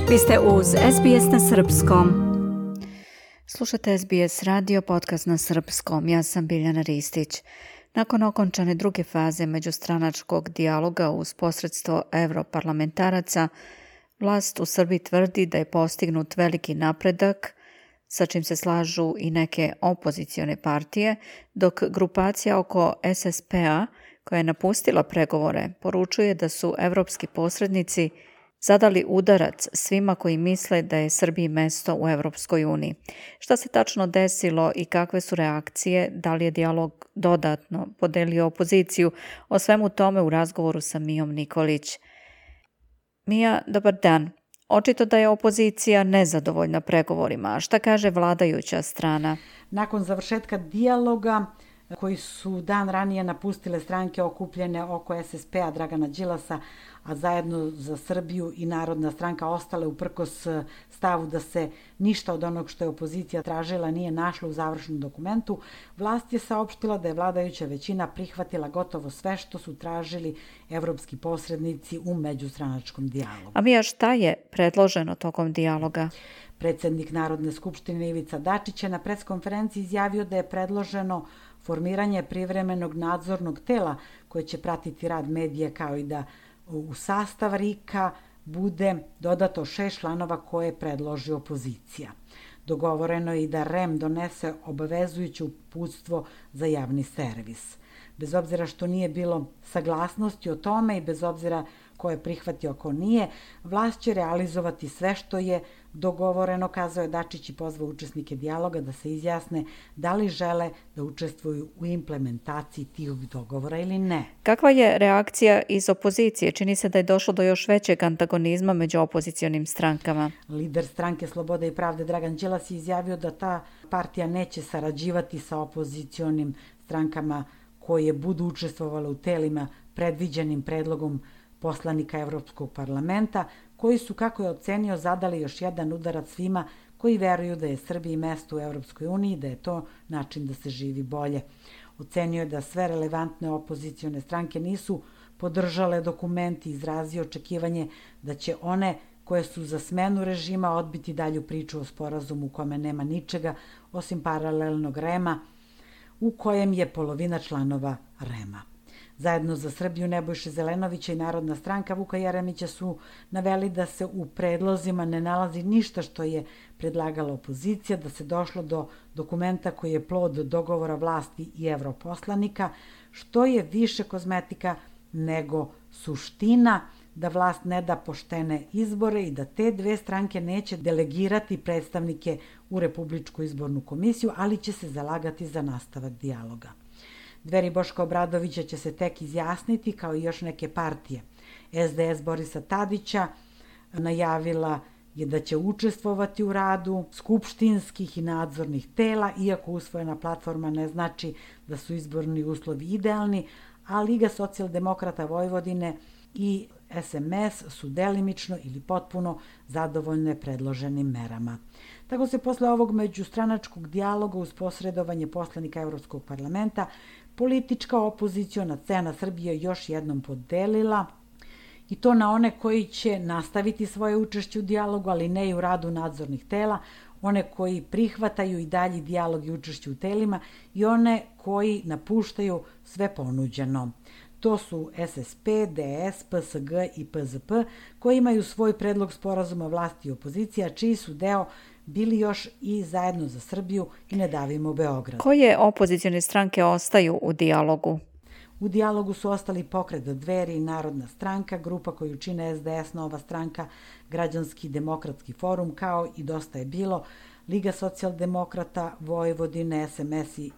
Vi ste uz SBS na Srpskom. Slušate SBS radio, podcast na Srpskom. Ja sam Biljana Ristić. Nakon okončane druge faze međustranačkog dijaloga uz posredstvo europarlamentaraca, vlast u Srbiji tvrdi da je postignut veliki napredak, sa čim se slažu i neke opozicione partije, dok grupacija oko SSP-a, koja je napustila pregovore, poručuje da su evropski posrednici zadali udarac svima koji misle da je Srbiji mesto u Evropskoj uniji. Šta se tačno desilo i kakve su reakcije? Da li je dijalog dodatno podelio opoziciju? O svemu tome u razgovoru sa Mijom Nikolić. Mija, dobar dan. Očito da je opozicija nezadovoljna pregovorima. A šta kaže vladajuća strana? Nakon završetka dijaloga koji su dan ranije napustile stranke okupljene oko SSP-a Dragana Đilasa, a zajedno za Srbiju i Narodna stranka ostale uprkos stavu da se ništa od onog što je opozicija tražila nije našlo u završenom dokumentu, vlast je saopštila da je vladajuća većina prihvatila gotovo sve što su tražili evropski posrednici u međustranačkom dijalogu. A Mija, šta je predloženo tokom dijaloga? Predsednik Narodne skupštine Ivica Dačić je na preskonferenciji izjavio da je predloženo formiranje privremenog nadzornog tela koje će pratiti rad medija, kao i da u sastav RIK-a bude dodato 6 članova koje predloži opozicija. Dogovoreno je i da REM donese obavezujuće uputstvo za javni servis. Bez obzira što nije bilo saglasnosti o tome i bez obzira ko je prihvatio, ko nije, vlast će realizovati sve što je dogovoreno, kazao je Dačić i pozvao učesnike dijaloga da se izjasne da li žele da učestvuju u implementaciji tih dogovora ili ne. Kakva je reakcija iz opozicije? Čini se da je došlo do još većeg antagonizma među opozicionim strankama. Lider stranke Slobode i pravde Dragan Đilas je izjavio da ta partija neće sarađivati sa opozicionim strankama koje budu učestvovale u telima predviđenim predlogom poslanika Evropskog parlamenta, koji su, kako je ocenio, zadali još jedan udarac svima koji veruju da je Srbiji mesto u Evropskoj uniji i da je to način da se živi bolje. Ocenio je da sve relevantne opozicione stranke nisu podržale dokument i izrazio očekivanje da će one koje su za smenu režima odbiti dalju priču o sporazumu u kome nema ničega osim paralelnog REM-a u kojem je polovina članova REM-a. Zajedno za Srbiju Nebojše Zelenovića i Narodna stranka Vuka Jeremića su naveli da se u predlozima ne nalazi ništa što je predlagala opozicija, da se došlo do dokumenta koji je plod dogovora vlasti i evroposlanika, što je više kozmetika nego suština, da vlast ne da poštene izbore i da te dve stranke neće delegirati predstavnike u Republičku izbornu komisiju, ali će se zalagati za nastavak dijaloga. Dveri Boška Obradovića će se tek izjasniti, kao i još neke partije. SDS Borisa Tadića najavila je da će učestvovati u radu skupštinskih i nadzornih tela, iako usvojena platforma ne znači da su izborni uslovi idealni, a Liga socijaldemokrata Vojvodine i SMS su delimično ili potpuno zadovoljne predloženim merama. Tako se posle ovog međustranačkog dijaloga uz posredovanje poslanika Evropskog parlamenta politička opoziciona scena Srbije još jednom podelila, i to na one koji će nastaviti svoje učešće u dijalogu, ali ne i u radu nadzornih tela, one koji prihvataju i dalji dijalog i učešće u telima i one koji napuštaju sve ponuđeno. To su SSP, DS, PSG i PZP, koji imaju svoj predlog sporazuma vlasti i opozicija, čiji su deo bili još i Zajedno za Srbiju i Ne davimo Beograd. Koje opozicione stranke ostaju u dijalogu? U dijalogu su ostali Pokret Dveri i Narodna stranka, grupa koju čine SDS, Nova stranka, Građanski demokratski forum, kao i Dosta je bilo, Liga socijaldemokrata Vojvodine, SMS i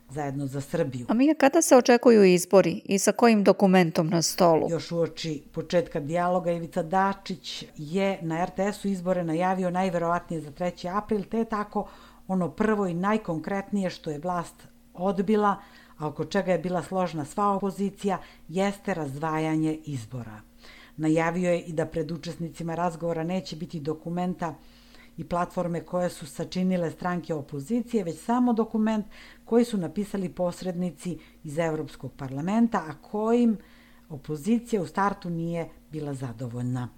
Zajedno za Srbiju. A Mija, kada se očekuju izbori i sa kojim dokumentom na stolu? Još uoči početka dijaloga Ivica Dačić je na RTS-u izbore najavio najverovatnije za 3. april, te je tako ono prvo i najkonkretnije što je vlast odbila, a oko čega je bila složna sva opozicija, jeste razdvajanje izbora. Najavio je i da pred učesnicima razgovora neće biti dokumenta i platforme koje su sačinile stranke opozicije, već samo dokument koji su napisali posrednici iz Evropskog parlamenta, a kojim opozicija u startu nije bila zadovoljna.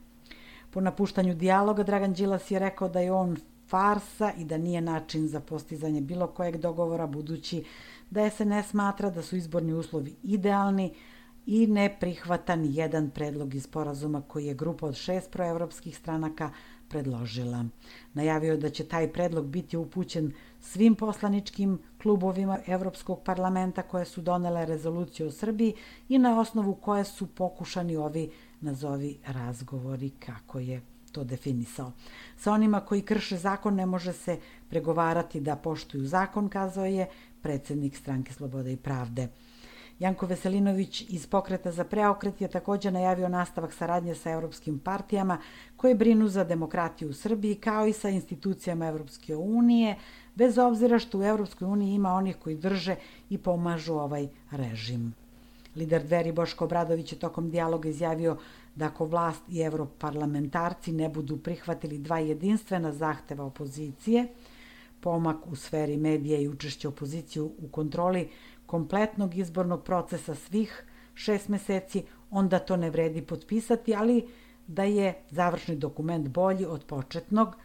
Po napuštanju dijaloga Dragan Đilas je rekao da je on farsa i da nije način za postizanje bilo kojeg dogovora, budući da SNS smatra da su izborni uslovi idealni i ne prihvata ni jedan predlog iz sporazuma koji je grupa od 6 proevropskih stranaka predložila. Najavio je da će taj predlog biti upućen svim poslaničkim klubovima Evropskog parlamenta koje su donele rezoluciju o Srbiji i na osnovu koje su pokušani ovi nazovi razgovori, kako je to definisao. Sa onima koji krše zakon ne može se pregovarati da poštuju zakon, kazao je predsednik Stranke slobode i pravde. Janko Veselinović iz Pokreta za preokret je također najavio nastavak saradnje sa evropskim partijama koje brinu za demokratiju u Srbiji, kao i sa institucijama Evropske unije, bez obzira što u Evropskoj uniji ima onih koji drže i pomažu ovaj režim. Lider Dveri Boško Obradović je tokom dijaloga izjavio da ako vlast i evroparlamentarci ne budu prihvatili 2 jedinstvena zahteva opozicije, pomak u sferi medija i učešće opozicije u kontroli kompletnog izbornog procesa svih 6 meseci, onda to ne vredi potpisati, ali da je završni dokument bolji od početnog.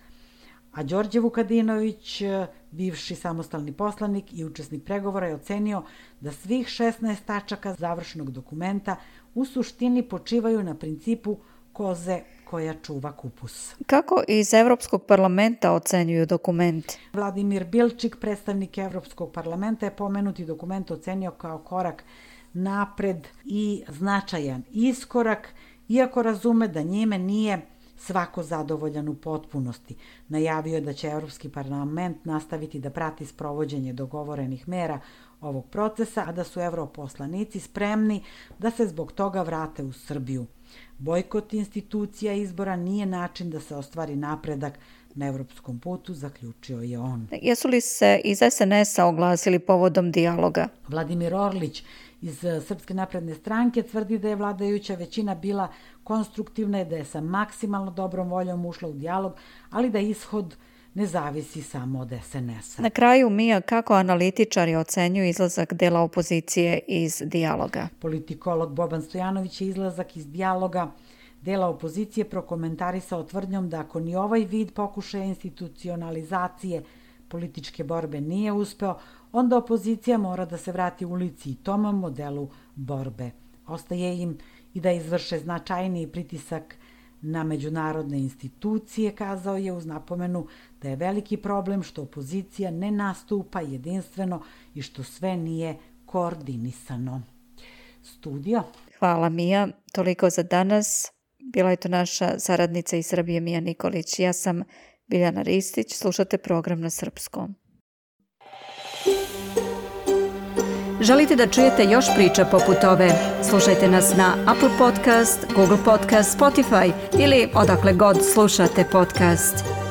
A Đorđe Vukadinović, bivši samostalni poslanik i učesnik pregovora, je ocenio da svih 16 tačaka završnog dokumenta u suštini počivaju na principu koze koja čuva kupus. Kako iz Evropskog parlamenta ocenjuju dokument? Vladimir Bilčik, predstavnik Evropskog parlamenta, je pomenuti dokument ocenio kao korak napred i značajan iskorak, iako razume da njime nije svako zadovoljan u potpunosti. Najavio je da će Evropski parlament nastaviti da prati sprovođenje dogovorenih mera ovog procesa, a da su europoslanici spremni da se zbog toga vrate u Srbiju. Bojkot institucija izbora nije način da se ostvari napredak na evropskom putu, zaključio je on. Jesu li se iz SNS-a oglasili povodom dijaloga? Vladimir Orlić iz Srpske napredne stranke tvrdi da je vladajuća većina bila konstruktivna i da je sa maksimalno dobrom voljom ušla u dijalog, ali da ishod ne zavisi samo od SNS-a. Na kraju, Mija, kako analitičari ocenjuju izlazak dela opozicije iz dijaloga? Politikolog Boban Stojanović je izlazak iz dijaloga dela opozicije prokomentarisao tvrdnjom da ako ni ovaj vid pokušaja institucionalizacije političke borbe nije uspeo, onda opozicija mora da se vrati ulici i tom modelu borbe. Ostaje im i da izvrše značajniji pritisak na međunarodne institucije, kazao je uz napomenu da je veliki problem što opozicija ne nastupa jedinstveno i što sve nije koordinisano. Studio. Hvala, Mija. Toliko za danas. Bila je to naša saradnica iz Srbije Mija Nikolić. Ja sam Biljana Ristić. Slušate program na srpskom. Želite da čujete još priča poput ove? Slušajte nas na Apple Podcast, Google Podcast, Spotify ili odakle god slušate podcast.